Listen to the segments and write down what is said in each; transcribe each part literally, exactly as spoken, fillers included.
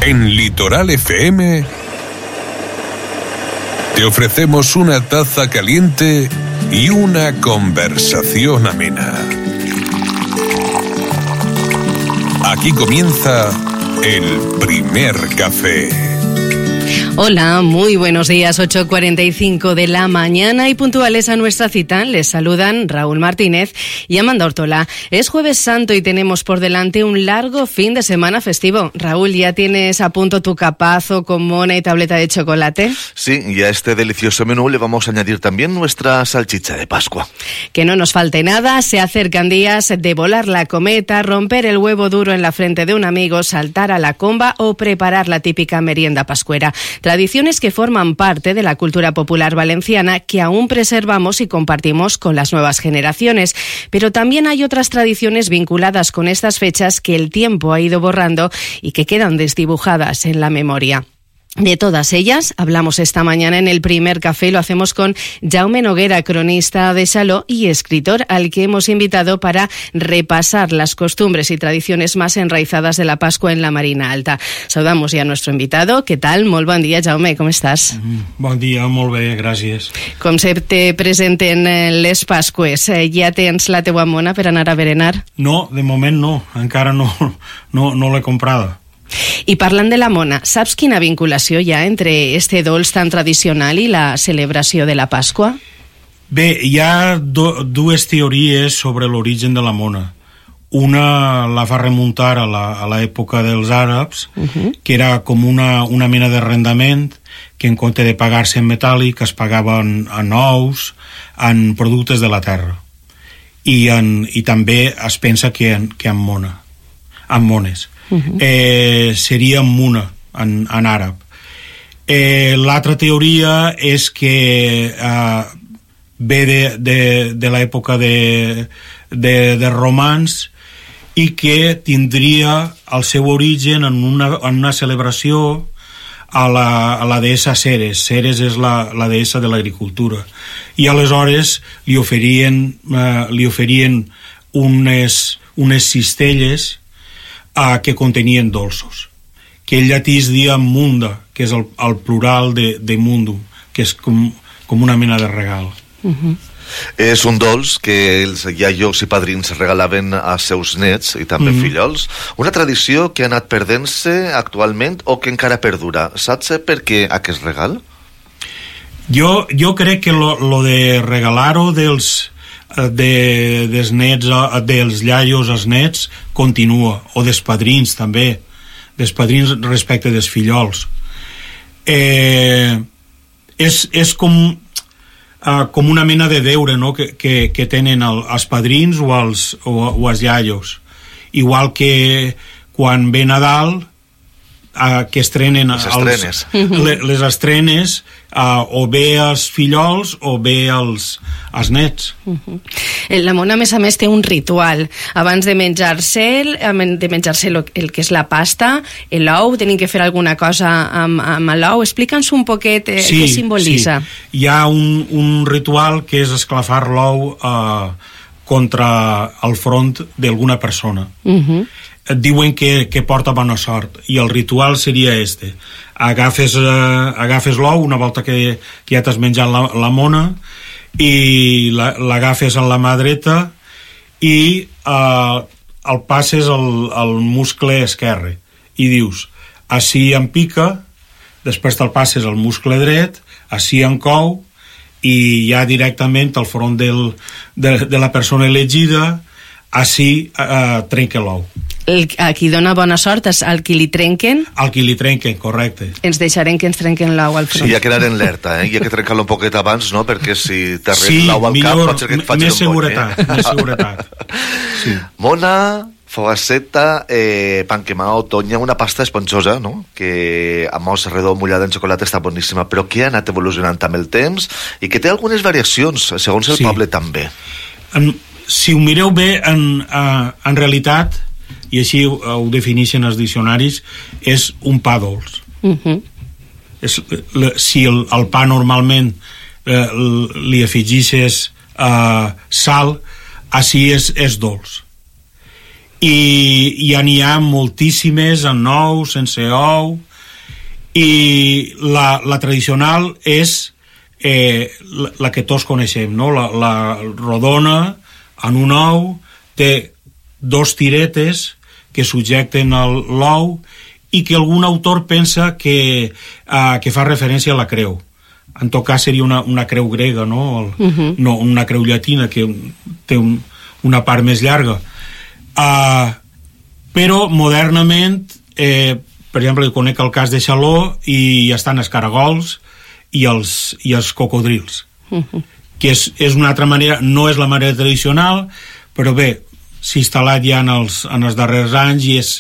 En Litoral F M te ofrecemos una taza caliente y una conversación amena. Aquí comienza el primer café. Hola, muy buenos días, ocho cuarenta y cinco de la mañana y puntuales a nuestra cita. Les saludan Raúl Martínez y Amanda Ortola. Es Jueves Santo y tenemos por delante un largo fin de semana festivo. Raúl, ¿ya tienes a punto tu capazo con mona y tableta de chocolate? Sí, y a este delicioso menú le vamos a añadir también nuestra salchicha de Pascua. Que no nos falte nada, se acercan días de volar la cometa, romper el huevo duro en la frente de un amigo, saltar a la comba o preparar la típica merienda pascuera. Tradiciones que forman parte de la cultura popular valenciana que aún preservamos y compartimos con las nuevas generaciones. Pero también hay otras tradiciones vinculadas con estas fechas que el tiempo ha ido borrando y que quedan desdibujadas en la memoria. De todas ellas hablamos esta mañana en el primer café. Lo hacemos con Jaume Noguera, cronista de Saló y escritor, al que hemos invitado para repasar las costumbres y tradiciones más enraizadas de la Pascua en la Marina Alta. Saludamos ja a nuestro invitado. ¿Qué tal? Molt bon dia, Jaume, com estàs? Bon dia, molt bé, gràcies. Com se te presenten les Pasques? Ja tens la teua mona per anar a berenar? No, de moment no, encara no, no, no l'he comprada. I parlant de la mona, saps quina vinculació hi ha entre este dolç tan tradicional i la celebració de la Pasqua? Bé, hi ha do, dues teories sobre l'origen de la mona. Una la fa remuntar a l'època dels àrabs, uh-huh. que era com una, una mena d'arrendament que en compte de pagar-se en metàl·lic es pagaven en ous, en productes de la terra. I, en, i també es pensa que en, que en mona, en mones. Uh-huh. eh, seria muna en, en àrab. eh, l'altra teoria és que eh, ve de, de, de l'època de, de, de romans i que tindria el seu origen en una, en una celebració a la, a la deessa Ceres. Ceres és la, la deessa de l'agricultura, i aleshores li oferien, eh, li oferien unes, unes cistelles Uh, que contenien dolços, que en llatí es dia munda, que és el, el plural de, de mundum, que és com, com una mena de regal. Uh-huh. És un dolç que els iaios i padrins regalaven als seus nets i també uh-huh. fillols. Una tradició que ha anat perdent-se actualment o que encara perdura. Saps per què aquest regal? Jo, jo crec que lo, lo de regalar-ho dels de, dels nets, dels iaios als nets continua, o dels padrins també, dels padrins respecte dels fillols. eh, és, és com uh, com una mena de deure, no? que, que, que tenen el, els padrins o els, o, o els iaios, igual que quan ve Nadal, Uh, que estrenen les estrenes, els, les, les estrenes uh, o bé els fillols o bé els, els nets. Uh-huh. La mona, a més a més, té un ritual. Abans de menjar-se de menjar-se el, el que és la pasta, l'ou, tenen que fer alguna cosa amb, amb l'ou. Explica'ns un poquet eh, sí, què simbolitza. Sí. Hi ha un, un ritual que és esclafar l'ou uh, contra el front d'alguna persona. Uh-huh. Et diuen que, que porta bona sort, i el ritual seria este: agafes, eh, agafes l'ou una volta que, que ja t'has menjat la, la mona, i l'agafes en la mà dreta i eh, el passes al, al muscle esquerre i dius, ací em pica, després te'l passes al muscle dret, ací em cou, i ja directament al front del, de, de la persona elegida, ací eh, trenca l'ou. El, a qui dona bona sort és al qui li trenquen? Al qui li trenquen, correcte. Ens deixarem que ens trenquen l'ou al front. Sí, ja quedar en alerta, eh? Hi ha que trencar-lo un poquet abans, no? Perquè si t'arrel sí, l'ou al cap pot ser que et faci un seguretat, bony, eh? Més seguretat, sí. Mona, fogasseta, eh, pan quemado, tonya, una pasta esponjosa, no? Que a mos redó mullada en xocolata està boníssima, però que ha anat evolucionant amb el temps i que té algunes variacions, segons el sí. poble també. En, si ho mireu bé, en, uh, en realitat, i així ho, ho defineixen els diccionaris, és un pa dolç. Uh-huh. És, le, si el, el pa normalment eh, li afegixes eh, sal, així és, és dolç. i, i ja n'hi ha moltíssimes en ou, sense ou, i la, la tradicional és eh, la, la que tots coneixem, no? la, la rodona en un ou, té dos tiretes que subjecten l'ou i que algun autor pensa que, uh, que fa referència a la creu. En tot cas seria una, una creu grega, no? El, uh-huh. no una creu llatina que té un, una part més llarga. Uh, però modernament, eh, per exemple, conec el cas de Xaló i estan els caragols i els, i els cocodrils, uh-huh. que és, és una altra manera, no és la manera tradicional, però bé, s'ha instal·lat ja en els, en els darrers anys i és,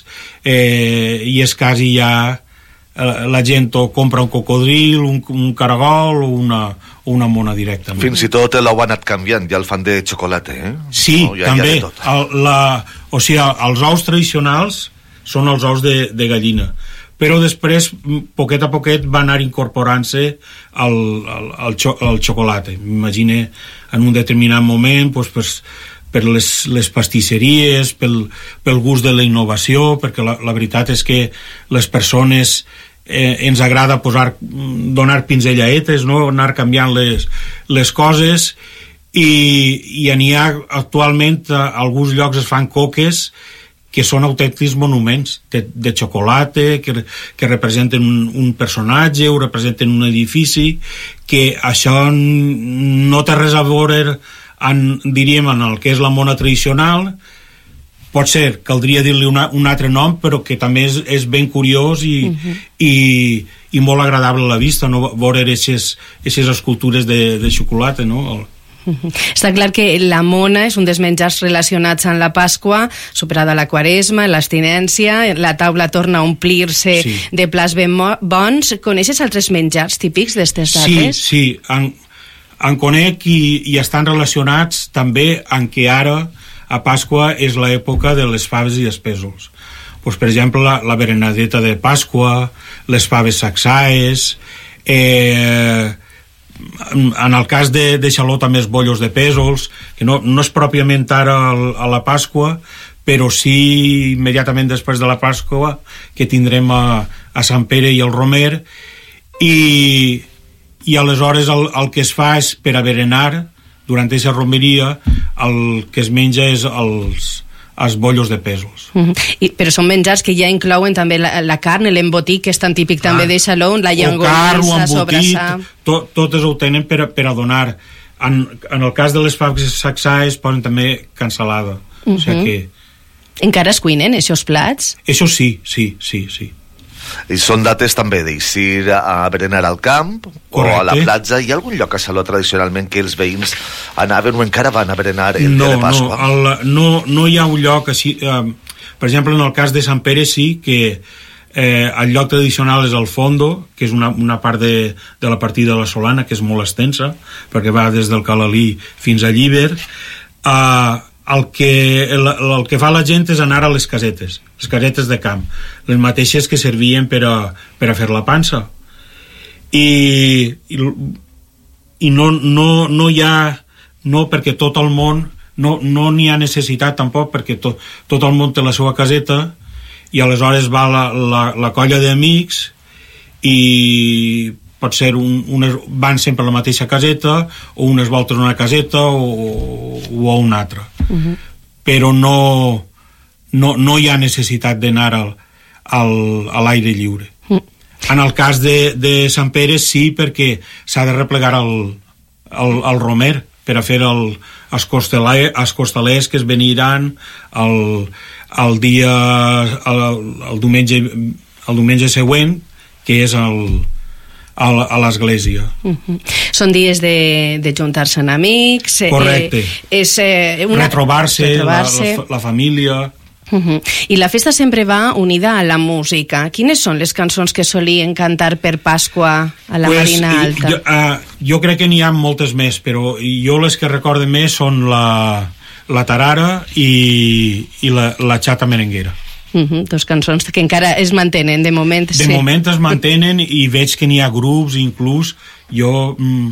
eh, i és quasi ja eh, la gent o compra un cocodril, un, un caragol o una, o una mona directament. Fins i tot l'ou ha anat canviant, ja el fan de xocolata, eh? Sí, no, ja, també. Ja el, la, o sigui, els ous tradicionals són els ous de, de gallina, però després, poquet a poquet, va anar incorporant-se el, el, el, xo, el xocolata. M'imagino en un determinat moment, doncs, pues, per les, les pastisseries, pel, pel gust de la innovació, perquè la, la veritat és que les persones eh, ens agrada posar, donar pinzellaetes, no? Anar canviant les, les coses, i, i n'hi ha actualment a alguns llocs es fan coques que són autèntics monuments de, de xocolata, que, que representen un, un personatge o representen un edifici, que això no té res a veure en, diríem, en el que és la mona tradicional. Pot ser, caldria dir-li una, un altre nom, però que també és, és ben curiós i, uh-huh. i, i molt agradable a la vista, no? Veure aquestes escultures de, de xocolata, no? El, està clar que la mona és un dels menjars relacionats amb la Pasqua, superada la Quaresma, l'abstinència, la taula torna a omplir-se sí. de plats ben bons. Coneixes altres menjars típics d'aquestes dates? Sí, sí, en, en conec i, i estan relacionats també en què ara a Pasqua és l'època de les faves i els pèsols. Pues, per exemple, la, la berenadeta de Pasqua, les faves saxaes, eh... en el cas de, de Xaló també els bollos de pèsols, que no, no és pròpiament ara el, a la Pasqua, però sí immediatament després de la Pasqua, que tindrem a, a Sant Pere i el Romer, i, i aleshores el, el que es fa és, per a berenar, durant aquesta romeria, el que es menja és els, els bollos de pèsols. Mm-hmm. I, però són menjars que ja inclouen també la, la carn, l'embotit, que és tan típic ah, també de Xaló, la llangonissa, sobrassà... To, totes ho tenen per a, per a donar. En, en el cas de les faves saxaes posen també cansalada. Mm-hmm. O sigui que... Encara es cuinen, aquests plats? Això sí, sí, sí, sí. I són dates també d'eixir a berenar al camp o a la platja. Hi ha algun lloc a Xaló tradicionalment que els veïns anaven o encara van a berenar el no, dia de Pasqua? No, el, no, no hi ha un lloc així. Eh, per exemple, en el cas de Sant Pere sí que eh, el lloc tradicional és el Fondo, que és una, una part de, de la partida de la Solana, que és molt extensa, perquè va des del Calalí fins a Llíber. Eh, El que, el, el que fa la gent és anar a les casetes, les casetes de camp, les mateixes que servien per a, per a fer la pansa. I, i, i no, no, no hi ha, no perquè tot el món, no no n'hi ha necessitat tampoc, perquè to, tot el món té la seva caseta, i aleshores va la, la, la colla d'amics i pot ser un, unes, van sempre a la mateixa caseta, o unes voltes a una caseta o, o a una altra. Uh-huh. Però no, no, no hi ha necessitat d'anar al, al, a l'aire lliure. Uh-huh. En el cas de, de Sant Pere sí, perquè s'ha de replegar el, el, el Romer per a fer el, els, costelers, els costelers que es veniran el, el dia el, el, diumenge, el diumenge següent, que és el a l'església. Uh-huh. Són dies de, de juntar-se amb amics. Correcte. Eh, és, eh, una... Retrobar-se, retrobar-se. La, la, la família. Uh-huh. I la festa sempre va unida a la música. Quines són les cançons que solien cantar per Pasqua a la pues, Marina Alta? Jo, uh, jo crec que n'hi ha moltes més, però jo les que recorde més són la, la tarara i, i la, la xata merenguera. Uh-huh, dos cançons que encara es mantenen de moment. De sí. moment es mantenen i veig que n'hi ha grups, inclús jo mm,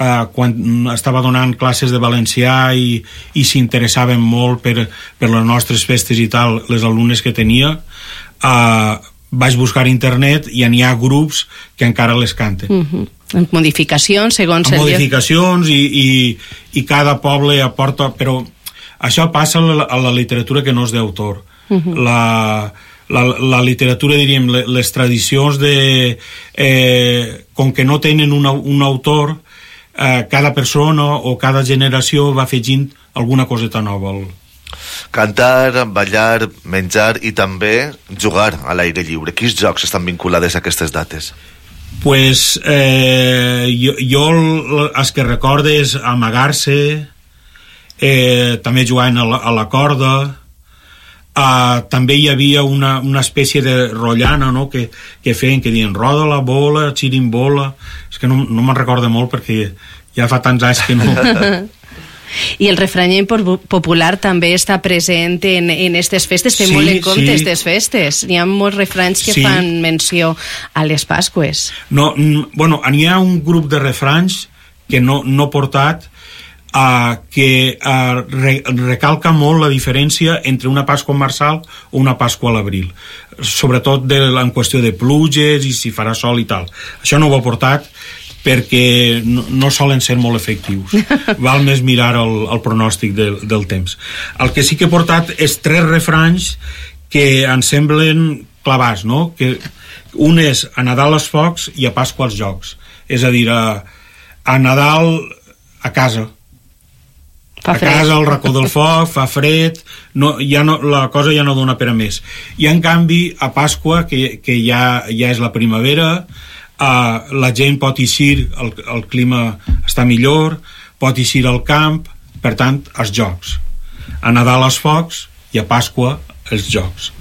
Uh, quan estava donant classes de valencià i, i s'interessaven molt per, per les nostres festes i tal, les alumnes que tenia, uh, vaig buscar a internet i n'hi ha grups que encara les canten. Uh-huh. Modificacions segons el modificacions i, i, i cada poble aporta, però això passa a la, a la literatura que no és d'autor. Uh-huh. la, la, la literatura, diríem, les tradicions de eh, com que no tenen una, un autor, Eh, cada persona o cada generació va afegint alguna coseta nova. Cantar, ballar, menjar i també jugar a l'aire lliure. Quins jocs estan vinculades a aquestes dates? Pues eh, jo, jo els que recorde és amagar-se, eh, també jugant a la, a la corda. Uh, també hi havia una, una espècie de rotllana, no?, que, que feien, que diuen roda la bola, xirimbola. És que no, no me'n recordo molt perquè ja fa tants anys que no. I el refrany popular també està present en, en aquestes festes, té sí, molt en compte aquestes sí. festes. Hi ha molts refranys que sí. fan menció a les Pasques. No, bueno, n'hi ha un grup de refranys que no, no he portat, Uh, que uh, re, recalca molt la diferència entre una Pasqua marçal o una Pasqua a l'abril, sobretot de, en qüestió de pluges i si farà sol i tal. Això no ho he portat perquè no, no solen ser molt efectius. Val més mirar el, el pronòstic del, del temps. El que sí que he portat és tres refranys que ens semblen clavats, no? Que un és a Nadal els focs i a Pasqua els jocs. És a dir, a, a Nadal a casa, Fa a casa al racó del foc, fa fred, no, ja no, la cosa ja no dona per a més. I en canvi a Pasqua, que, que ja, ja és la primavera, uh, la gent pot eixir, el, el clima està millor, pot eixir al camp, per tant, els jocs. A Nadal els focs i a Pasqua els jocs.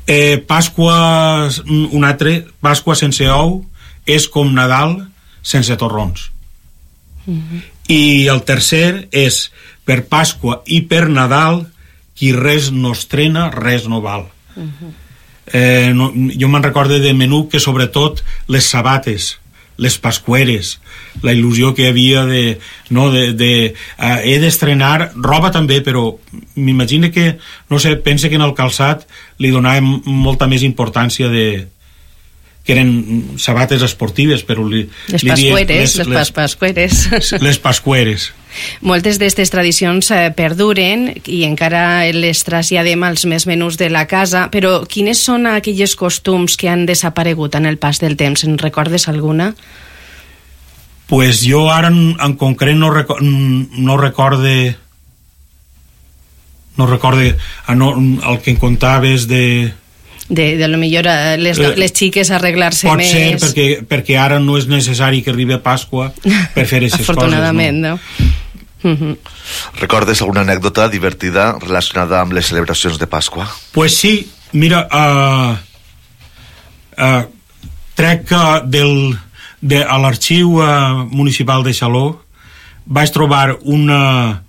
Eh, Pasqua, un altre, Pasqua sense ou és com Nadal sense torrons. Mm-hmm. I el tercer és per Pasqua i per Nadal qui res no estrena, res no val. Uh-huh. eh, no, jo me'n recordo de menú que sobretot les sabates, les pasqueres, la il·lusió que hi havia de, no, de, de uh, he d'estrenar roba també, però m'imagino que, no sé, pense que en el calçat li donàvem molta més importància de que eren sabates esportives, però li, les li pasqueres, les, les pasqueres. Les pasqueres. Moltes d'aquestes tradicions eh, perduren i encara les traslladem als més menús de la casa, però quines són aquells costums que han desaparegut en el pas del temps? En recordes alguna? Pues jo ara en, en concret no, reco no recorde no recorde ah, no, el que em contaves de de, de lo millor les, les xiques arreglar-se pot més. Pot ser perquè, perquè ara no és necessari que arribi a Pasqua per fer aquestes coses. Afortunadament, no? no? Uh-huh. Recordes alguna anècdota divertida relacionada amb les celebracions de Pasqua? Pues sí, mira, uh, uh, crec que del, de, a l'arxiu uh, municipal de Xaló vaig trobar una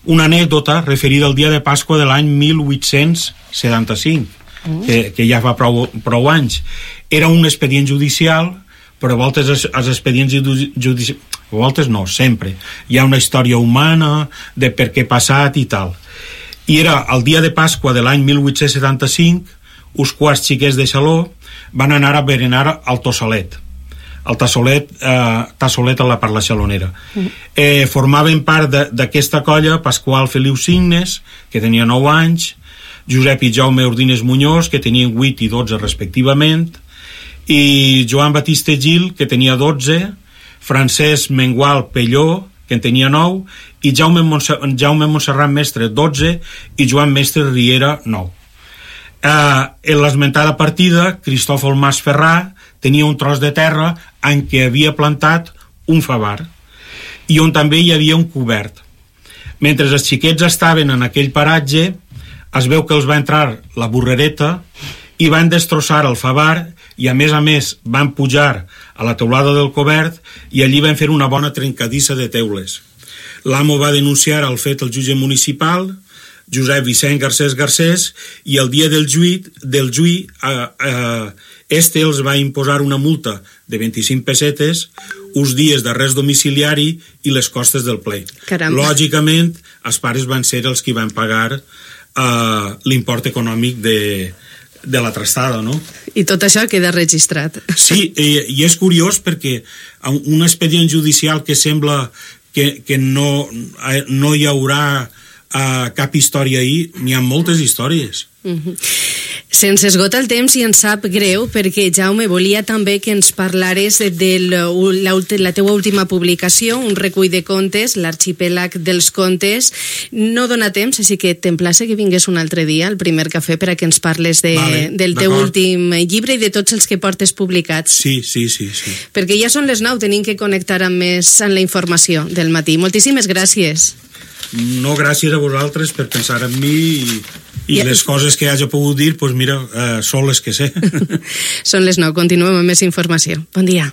una anècdota referida al dia de Pasqua de l'any mil vuit-cents setanta-cinc, mm. que, que ja fa prou, prou anys. Era un expedient judicial, però a voltes els, els expedients judicials, a voltes no, sempre. Hi ha una història humana de per què ha passat i tal. I era el dia de Pasqua de l'any mil vuit-cents setanta-cinc, uns quarts xiquets de Xaló van anar a berenar al Tossalet. El Tassolet, eh, Tassolet a la parla xalonera. Mm. Eh, formaven part d'aquesta colla Pasqual Feliu Signes, que tenia nou anys, Josep i Jaume Ordines Muñoz, que tenien vuit i dotze respectivament, i Joan Batista Gil, que tenia dotze, Francesc Mengual Pelló, que en tenia nou, i Jaume, Montse Jaume Montserrat Mestre, dotze, i Joan Mestre Riera, nou. Eh, en l'esmentada partida, Cristòfol Mas Ferrà tenia un tros de terra en què havia plantat un favar i on també hi havia un cobert. Mentre els xiquets estaven en aquell paratge, es veu que els va entrar la burrereta i van destrossar el favar i a més a més van pujar a la teulada del cobert i allí van fer una bona trencadissa de teules. L'amo va denunciar el fet al jutge municipal, Josep Vicent Garcés Garcés, i el dia del juí, del juí eh, eh, este els va imposar una multa de vint-i-cinc pessetes, uns dies d'arrest domiciliari i les costes del pleit. Caramba. Lògicament, els pares van ser els que van pagar eh, l'import econòmic de, de la trastada, no? I tot això queda registrat. Sí, i, i és curiós perquè un expedient judicial que sembla que, que no, no hi haurà uh, cap història ahir, n'hi ha moltes històries. Uh-huh. Se'ns esgota el temps i ens sap greu perquè, Jaume, volia també que ens parlares de la, la teua última publicació, un recull de contes, l'Arxipèlag dels contes. No dona temps, així que t'emplace que vingués un altre dia al primer cafè per a que ens parles de, vale, del teu últim llibre i de tots els que portes publicats. Sí, sí, sí, sí. Perquè ja són les nou, tenim que connectar amb més amb la informació del matí. Moltíssimes gràcies. No, gràcies a vosaltres per pensar en mi i, i ja. Les coses que hagi pogut dir, doncs mira, eh, són les que sé. Són les nou, continuem amb més informació. Bon dia.